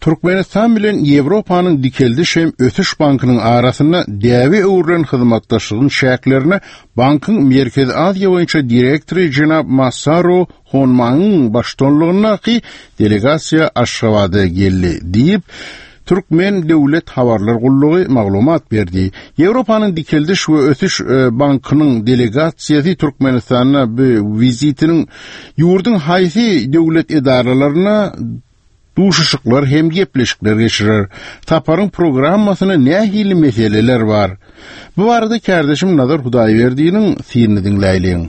Türkmenistan bilen Ýewropanyň Dikeldiş hem ösüş bankynyň arasynda däbe öwrülen hyzmatdaşlygyň çäklerinde bankyň Merkezi Aziýa boýunça direktory jenap Masaru Honmagyň baştutanlygyndaky delegasiýa Aşgabada geldi diýip, Türkmen döwlet habarlar gullugy maglumat berdi. Ýewropanyň Dikeldiş we ösüş bankynyň delegasiýasy Türkmenistanda bu wizitiniň ýurduň haýsy döwlet edaralaryna duşuşyklar hem gepleşikler geçirer. Saparyň programmasynda nähili meseleler bar? Bu barada kärdeşim Nazar Hudaýberdiniň synyny diňläýliň.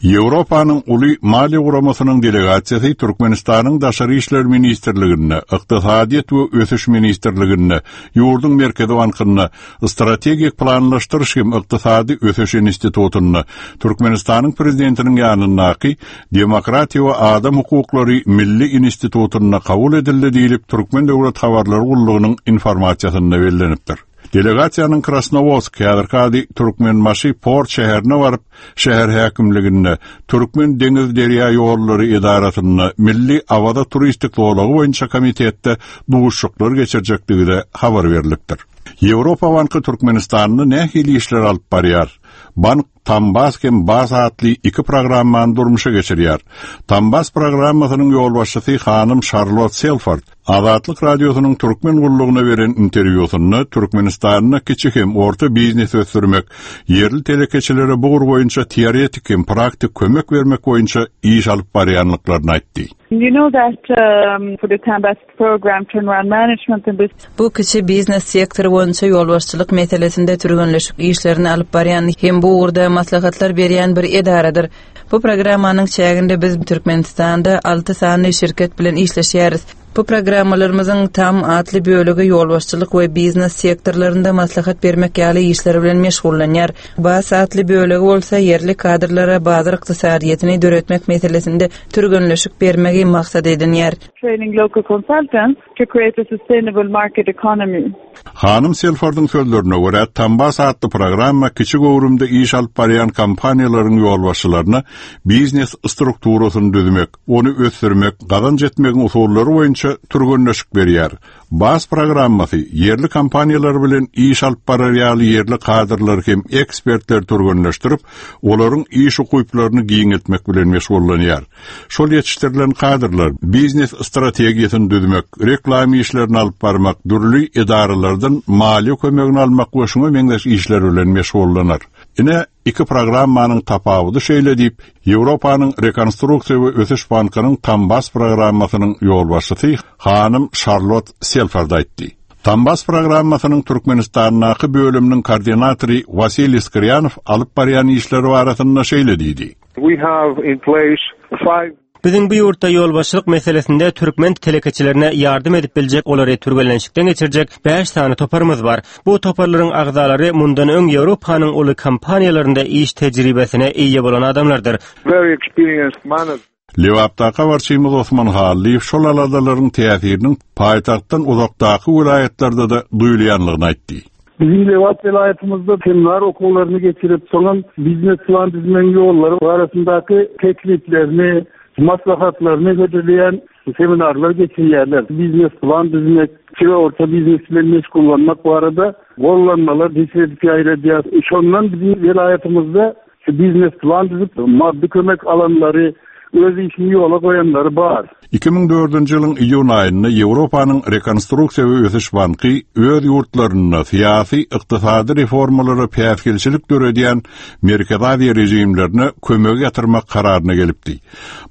Ýewropanyň uly maliýe guramasynyň delegasiýasy Türkmenistanyň Daşary işler ministrliginde, Ykdysadyýet we ösüş ministrliginde, ýurduň Merkezi bankynda, Strategik planlaşdyryş hem ykdysady ösüş institutynda, Türkmenistanyň Prezidentiniň ýanyndaky Demokratiýa we adam hukuklary milli institutynda kabul edildi diýlip, Türkmen döwlet habarlar gullugynyň informasiýasynda bellenipdir. Delegasiýanyň Krasnowodsk, häzirki ady Türkmenbaşy port şäherine baryp, şäher häkimliginde, Türkmen deňiz derýa ýollary edarasynda, Milli Awaza turistik zolagy boýunça komitetde duşuşyklar geçirjekdigi-de habar berlipdir. Ýewropa banky Türkmenistanda nähili işler alyp barýar? Bank Tambas hem Bas atly iki programmany durmuşa geçirýär. Tambas programmasynyň ýolbaşçysy hanym Şarlot Selford Azatlyk Radiosynyň Türkmen gullugyna beren interwýusynda Türkmenistanda kiçi hem orta biznesi ösdürmek, ýerli telekeçilere bu ugur boýunça teoretik hem praktik kömek bermek boýunça iş alyp barýanlyklaryny aýtdy. You know that for the Tambas program turnaround management and this Bu kiçi biznes sektory boýunça ýolbaşçylyk meselesinde türgenleşik işlerini alyp barýan hem bu ugurda maslahatlar berýän bir edaradyr. Bu programmanyň çäginde biz Türkmenistanda alty sany şirket bilen işleşýäris. Bu programmalarymyzyň tam atly bölegi ýolbaşçylyk we biznes sektorlarynda maslahat bermek ýaly işler bilen meşgullanýar. Bas atly bölegi bolsa ýerli kadrlara bazar ykdysadyýetini döretmek meselesinde türgenleşik bermegi maksat edinýär. Training local consultants to create a sustainable market economy. Hanym Selfordyň sözlerine görä, Tambas atly programma kiçi göwrümde iş alyp barýan kompaniýalaryň ýolbaşçylaryna biznes strukturasyny düzmek, ony ösdürmek, gazanç etmegiň usullary boýunça türgenleşik berýär. Bas programmasy ýerli kompaniýalar bilen iş alyp barar ýaly ýerli kadrlary hem ekspertleri türgenleşdirip, olaryň iş ukyplaryny giňeltmek bilen meşgullanýar. Şol ýetişdirilen kadrlar biznes strategiýasyny düzmek, reklama işlerini alyp barmak, dürli edaralardan maliýe kömegini almak we şuňa meňzeş işler bilen meşgullanar. Ine, iki programmanyň tapawudy şeýle diýip, Ýewropanyň Rekonstruksiýa we ösüş bankynyň Tambas programmasynyň ýolbaşçysy hanym Şarlot Selford aýtdy. Tambas programmasynyň Türkmenistandaky bölüminiň koordinatory Wasiliý Skrýanow alyp barýan işleri barasynda şeýle diýdi. We have in place five Biziň bu ýurtda ýolbaşçylyk meselesinde türkmen telekeçilerine ýardam edip biljek olary türgenleşikden geçirjek bäş sany toparymyz bar. Bu toparlaryň agzalary mundan öň Ýewropanyň uly kompaniýalarynda iş tejribesine eýe bolan adamlardyr. Very experienced management. Lebapdaky habarçymyz Osman Hallyýew şol aladalaryň täsiriniň paýtagtdan uzakdaky welaýatlarda-da duýulýanlygyny aýtdy. Biziň Lebap welaýatymyzda seminar okuwlaryny geçirip, soňam biznes plan düzmegiň ýollary barasyndaky tekliplerini, maslahatlaryny hödürleýän seminarlar geçirýärler. Biznes plan düzmek, kiçi we orta biznes bilen meşgullanmak barada gollanmalar neşir edip ýaýradýar. Şondan biziň welaýatymyzda Şu biznes plan düzüp, maddy kömek alanlary, öz işini ýola goýanlary bar. 2004-nji ýylyň iýun aýynda Ýewropanyň Rekonstruksiýa we ösüş banky öz ýurtlarynda syýasy, ykdysady reformalara päsgelçilik döredýän Merkezi Aziýa režimlerine kömegi ýatyrmak kararyna gelipdi.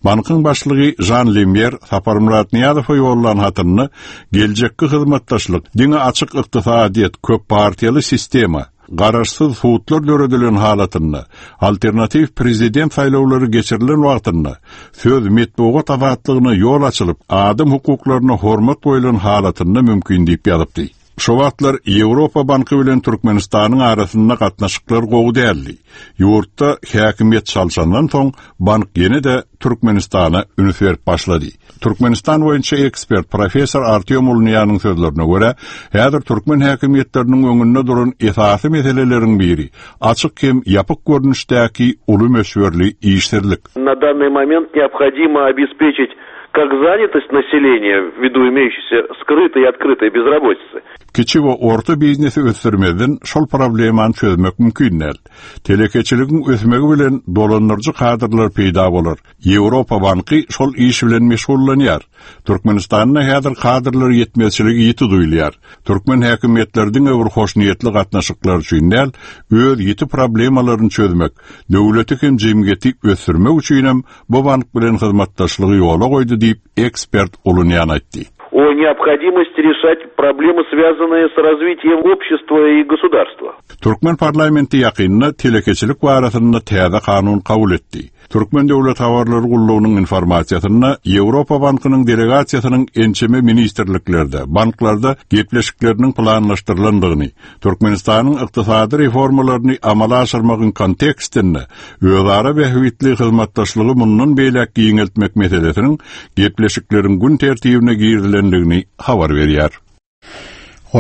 Bankyň başlygy Žan Lemýer Saparmyrat Nyýazowa ýollan hatynda geljekki hyzmatdaşlyk diňe açyk ykdysadyýet, köppartiýaly sistema, Garaşsyz sudlar döredilen halatynda, alternatiw prezident saýlawlary geçirilen wagtynda, söz, metbugat azatlygyna ýol açylyp, adam hukuklaryna hormat goýlan halatynda mümkin diýip ýazypdy. Şo wagtlar Ýewropa banky bilen Türkmenistanyň arasynda gatnaşyklar gowy däldi. Ýurtda häkimiýet çalşandan soň, bank ýene-de Türkmenistana üns berip başlady. Türkmenistan boýunça ekspert professor Artýom Ulnyýanyň sözlerine görä, häzir türkmen häkimiýetleriniň öňünde duran esasy meseleleriň biri açyk hem ýapyk görnüşdäki uly möçberli işsizlik. Na dannyý moment neobhodimo obespeçit. Как занятость населения ввиду имеющейся скрытой и открытой безработицы. Kiçi we orta biznesi ösdürmezden şol problemany çözmek mümkin däl. Telekeçiligiň ösmegi bilen dolandyryjy kadrlar peýda bolar. Ýewropa banky şol iş bilen meşgullanýar. Türkmenistanda häzir kadrlar ýetmezçiligi ýiti duýulýar. Türkmen häkimiýetleri diňe bir hoşniýetli gatnaşyklar üçin däl, öz ýiti problemalaryny çözmek, döwleti hem jemgyýeti ösdürmek üçinem bu bank bilen hyzmatdaşlygy ýola goýdy diýip, ekspert Ulunýan aýtdy. O необходимости решать проблемы, связанные с развитием общества и государства. Türkmen parlamenti ýakynda telekeçilik barasynda täze kanun kabul etdi. Türkmen döwlet habarlar gullugynyň informasiýasynda Ýewropa bankynyň delegasiýasynyň ençeme ministrliklerde, banklarda gepleşikleriniň planlaşdyrylandygyny, Türkmenistanyň ykdysady reformalaryny amala aşyrmagyň kontekstinde özara bähbitli hyzmatdaşlygy mundan beýläk giňeltmek meselesiniň gepleşikleriň gün tertibine girizilendigini habar berýär.